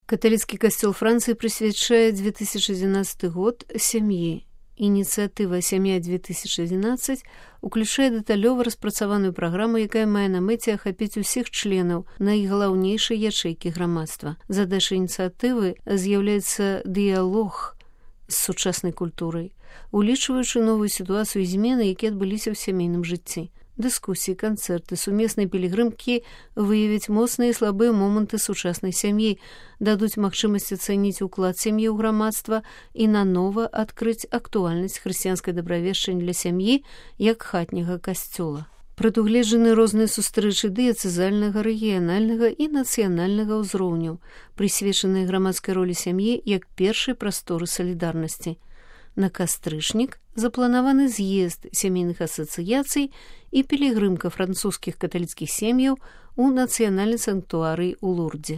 Каталіцкі касцёл Францыі прысвячае 2011 год сям'і. Ініцыятыва «Сям'я-2011» уключае дэталёва распрацаваную праграму, якая мае на мэце ахапіць усіх членаў найгалаўнейшай ячэйкі грамадства. Задачай ініцыятывы з'яўляецца дыялог з сучаснай культурай, улічваючы новую сітуацыю і змены, якія адбыліся ў сямейным жыцці. Дыскусіі, канцэрты, сумесныя пілігрымкі выявяць моцныя і слабыя моманты сучаснай сям'і, дадуць магчымасць ацэніць уклад сям'і ў грамадства і нанова адкрыць актуальнасць хрысціянскай дабравешчання для сям'і як хатняга касцёла. Прадугледжаны розныя сустрэчы дыяцэзальнага, рэгіянальнага і нацыянальнага ўзроўняў, прысвечаныя грамадскай ролі сям'і як першай прасторы салідарнасці. На кастрычнік запланаваны з'езд сямейных асацыяцый і пілігрымка французскіх каталіцкіх сем'яў у нацыянальнай санктуарыі ў Лурдзе.